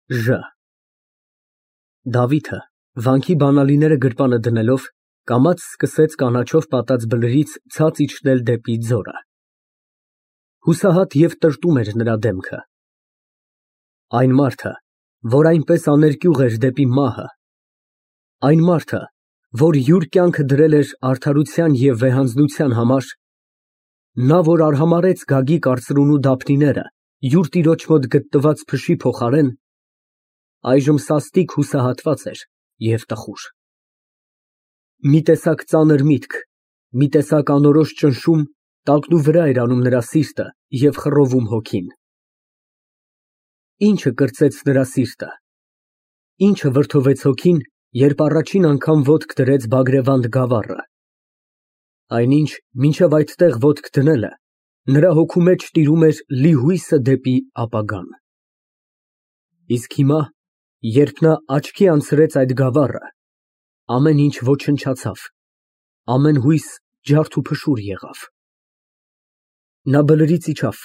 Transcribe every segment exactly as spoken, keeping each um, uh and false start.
Ժ Դավիթը, վանքի բանալիները գրպանը դնելով, կամաց սկսեց կանաչով պատած բլրից ցած իջնել դեպի ձորը։ Հուսահատ և տրտում էր նրա դեմքը։ Այն մարդը, որ այնպես աներկյուղ էր դեպի մահը, այն մարդը, որ յուր կյանքը դրել էր արդարության և վեհանձնության համար, նա, որ արհամարհեց Գագիկ արծրունու դափնիները յուր տիրոջ մոտ գտնված փշի փոխարեն, այժմ սաստիկ հուսահատված էր և տխուր։ Մի տեսակ ծանր միտք, մի տեսակ անորոշ ճնշում տակնուվրա էր անում նրա սիրտը և խռովում հոգին։ Ի՞նչը կրծեց նրա սիրտը, ի՞նչը վրդովեց հոգին, երբ առաջին անգամ ոտք դրեց Բագրևանդ գավառը։ Այնինչ, մինչև այդտեղ ոտք դնելը, նրա հոգու մեջ տիրում էր լի հույսը դեպի ապագան։ Իսկ հիմա, երբ նա աչքի անցրեց այդ գավառը, ամեն ինչ ոչնչացավ, ամեն հույս ջարդուփշուր եղավ։ Նա բլրից իջավ,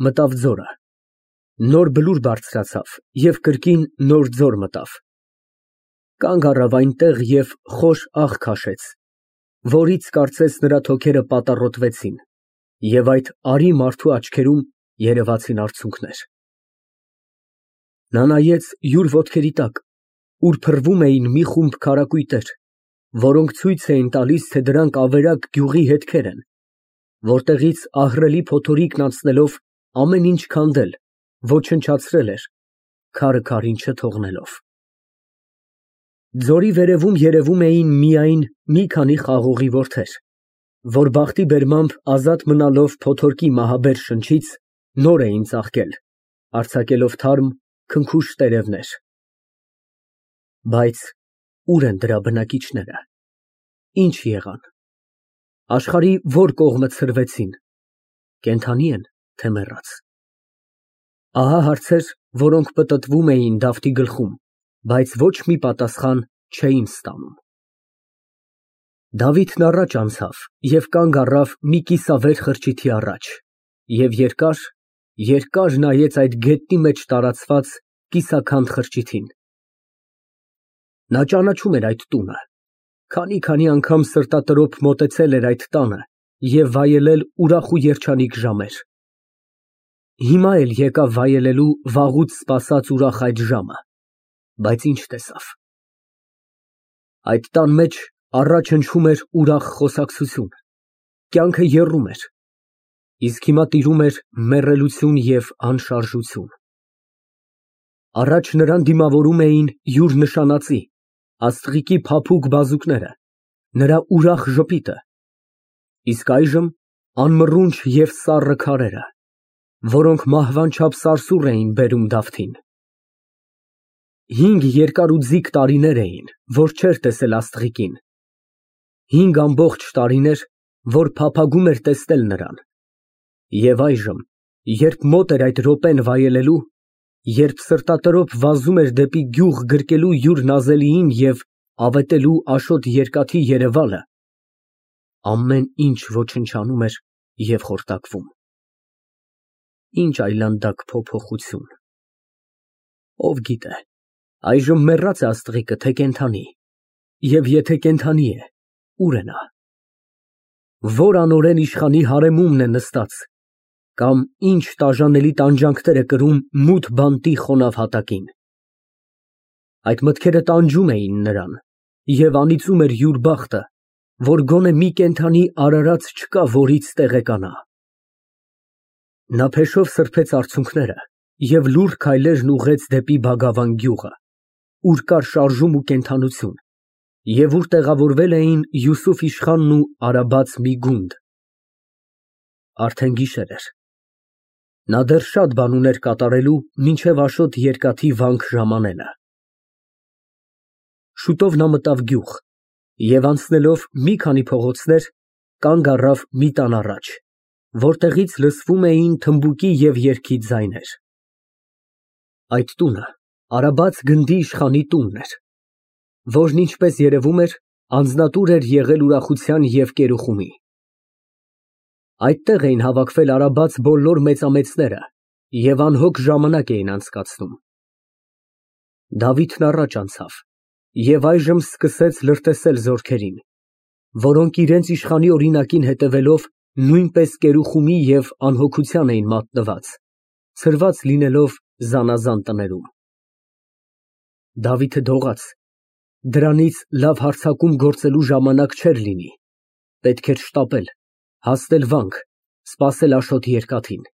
մտավ ձորը, նոր բլուր բարձրացավ և կրկին նոր ձոր մտավ, կանգ առավ այնտեղ և խոր աղ քաշեց, որից, կարծես, նրա թոքերը պատառոտվեցին, և այդ արի մարդու աչքերում երևացին արցունքներ։ Նա նայեց յուր ոտքերի տակ, ուր փռվում էին մի խումբ քարակույտեր, որոնք ցույց էին տալիս, թե դրանք ավերակ գյուղի հետքեր են, որտեղից ահռելի փոթորիկն անցնելով ամեն ինչ քանդել, ոչնչացրել էր, քարը քարին չթողնելով։ Ձորի վերևում երևում էին միայն մի քանի խաղողի որդեր, որ բախտի բերմամբ ազատ մնալով փոթորկի մահաբեր շնչից, նոր էին ծաղկել, արձակելով թարմ, քնքուշ տերևներ։ Բայց ո՞ւր են դրա բնակիչները, ի՞նչ եղան, աշխարհի ո՞ր կողմը ցրվեցին, կենդանի են, թե մեռած։ Ահա հարցեր, որոնք պտտվում էին Դավթի գլխում, բայց ոչ մի պատասխան չէին ստանում։ Դավիթն առաջ անցավ և կանգ առավ մի կիսավեր խրճիթի առաջ և երկար, երկար նայեց այդ գետնի մեջ տարածված կիսաքանդ խրճիթին։ Նա ճանաչում էր այդ տունը, քանի֊քանի անգամ սրտատրոփ մոտեցել էր այդ տանը և վայելել ուրախ ու երջանիկ ժամեր։ Հիմա էլ եկավ վայելելու վաղուց սպասած ուրախ այդ ժամը, բայց ինչ տեսավ։ Այդ տան մեջ առաջ հնչում էր ուրախ խոսակցություն, կյանքը եռում էր, իսկ հիմա տիրում էր մեռելություն և անշարժություն։ Առաջ նրան դիմավորում էին յուր նշանածի, աստղիկի փափուկ բազուկները, նրա ուրախ ժպիտը, իսկ այժմ անմռունչ և սառը քարերը, որոնք մահվան չափ սարսուռ էին բերում Դավթին։ Հինգ երկար ու ձիգ տարիներ էին, որ չէր տեսել աստղիկին, հինգ ամբողջ տարիներ, որ փափագում էր տեսնել նրան, և այժմ, երբ մոտ էր այդ րոպեն վայելելու, երբ սրտատրոփ վազում էր դեպի գյուղ գրկելու յուր նազելիին և ավետելու Աշոտ երկաթի երևալը, ամեն ինչ ոչնչանում էր և խորտակվում։ Ինչ այլանդակ փոփոխություն։ Ով գիտե, այժմ մեռա՞ծ է աստղիկը, թե կենդանի, և եթե կենդանի է, ո՞ւր է նա։ Ո՞ր անօրեն իշխանի հարեմումն է նստած, կամ ինչ տաժանելի տանջանքներ է կրում մութ բանտի խոնավ հատակին։ Այդ մտքերը տանջում էին նրան, և անիծում էր յուր բախտը, որ գոնե մի կենդանի արարած չկա, որից տեղեկանա։ Նա փեշով սրբեց արցունքները և լուռ քայլերն ուղղեց դեպի Բագավան գյուղը, ուր կար շարժում ու կենդանություն, և ուր տեղավորվել էին Յուսուֆ իշխանն ու արաբաց մի գունդ։ Արդեն գիշեր էր։ Նա դեռ շատ բան ուներ կատարելու, մինչև Աշոտ երկաթի վանք ժամանելը։ Շուտով նա մտավ գյուղ և, անցնելով մի քանի փողոցներ, կանգ առավ մի տան առաջ, որտեղից լսվում էին թմբուկի և երգի ձայներ։ Այդ տունը արաբաց գնդի իշխանի տունն էր, որն, ինչպես երևում էր, անձնատուր էր եղել ուրախության և կերուխումի։ Այդտեղ էին հավաքվել արաբաց բոլոր մեծամեծները և անհոգ ժամանակ էին անցկացնում։ Դավիթն առաջ անցավ և այժմ սկսեց լրտեսել զորքերին, որոնք իրենց իշխանի օրինակին հետևելով նույնպես կերուխումի և անհոգության էին մատնված, ցրված լինելով զանազան տներում։ Դավիթը դողաց, դրանից լավ հարձակում գործելու ժամանակ չէր լինի, պետք էր շտապել, հասնել վանք, սպասել Աշոտի երկաթին։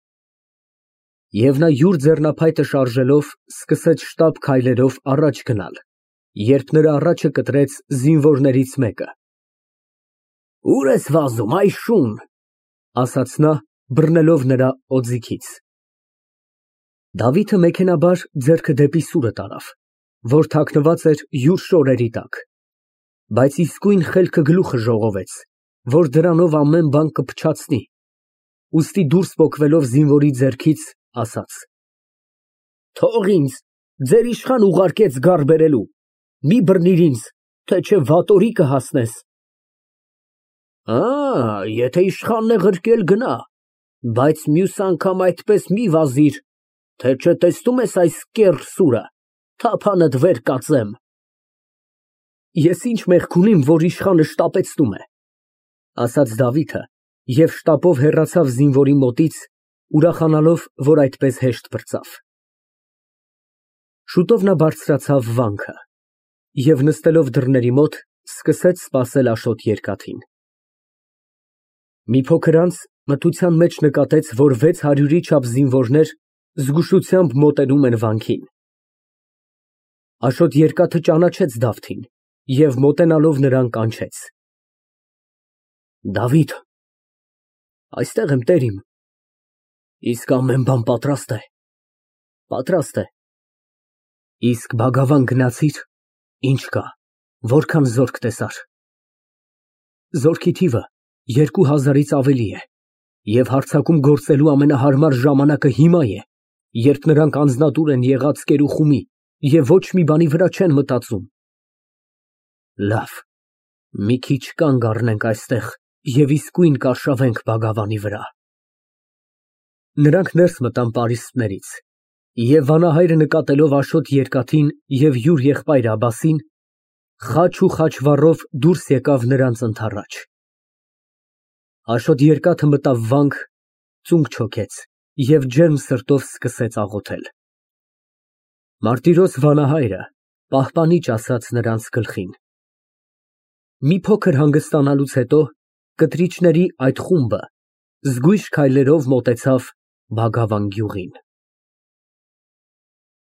Եվ նա յուր ձեռնափայտը շարժելով սկսեց շտապ քայլերով առաջ գնալ, երբ նրա առաջը կտրեց զինվորներից մեկը։ «Ո՞ւր ես վազում, այ շուն», ասաց նա, բռնելով նրա օձիքից։ Դավիթը մեքենայաբար ձեռքը դեպի սուրը տարավ, որ թաքնված էր յուր շորերի տակ, բայց իսկույն խելքը գլուխը ժողովեց, որ դրանով ամեն բան կփչացնի, ուստի դուրս պոկվելով զինվորի ձեռքից, ասաց. «Թող ինձ, ձեր իշխան ուղարկեց գար բերելու, մի բռնիր ինձ, թե չէ վատորի կհասնես»։ «Ա, եթե իշխանն է ղրկել, գնա, բայց մյուս անգամ այդպես մի վազիր, թե չէ տեսնում ես այս կեռ սուրը, թափանդ վեր կածեմ»։ «Ես ինչ մեղք ունիմ, որ իշխանը շտապեցնում է», ասաց Դավիթը և շտապով հեռացավ զինվորի մոտից, ուրախանալով, որ այդպես հեշտ պրծավ։ Շուտով նա բարձրացավ վանքը և նստելով դռների մոտ, սկսեց սպասել Աշոտ երկաթին։ Մի փոքր անց մթության մեջ նկատեց, որ վեց հարյուրի չափ զինվորներ զգուշությամբ մոտենում են վանքին։ Աշոտ երկաթը ճանաչեց Դավթին և մոտենալով նրան կանչեց. «Դավիթ, այստեղ եմ, տեր իմ»։ «Իսկ ամեն բան պատրաստ է»։ «Պատրաստ է»։ «Իսկ բագավան գնացի՞ր, ինչ կա, որքան զորք տեսար»։ «Զորքի թիվը երկու հազարից ավելի է, և հարձակում գործելու ամենահարմար ժամանակը հիմա է, երբ նրանք անձնատուր են եղած կերուխումի և ոչ մի բանի վրա չեն մտածում»։ «Լավ, մի քիչ կանգ առնենք այստեղ և իսկույն կարշավենք բագավանի վրա»։ Նրանք ներս մտան պարիսպներից, և վանահայրը նկատելով Աշոտ երկաթին և յուր եղբայր Աբասին, խաչ ու խաչվառով դուրս եկավ նրանց ընդառաջ։ Աշոտ երկաթը մտավ վանք, ծունկ չոքեց և ջերմ սրտով սկսեց աղոթել։ Մարտիրոս վանահայրը պահպանիչ ասաց նրանց գլխին։ Մի փոքր հանգստանալուց հետո կտրիչների այդ խումբը զգույշ քայլերով մոտեցավ Բագավան գյուղին։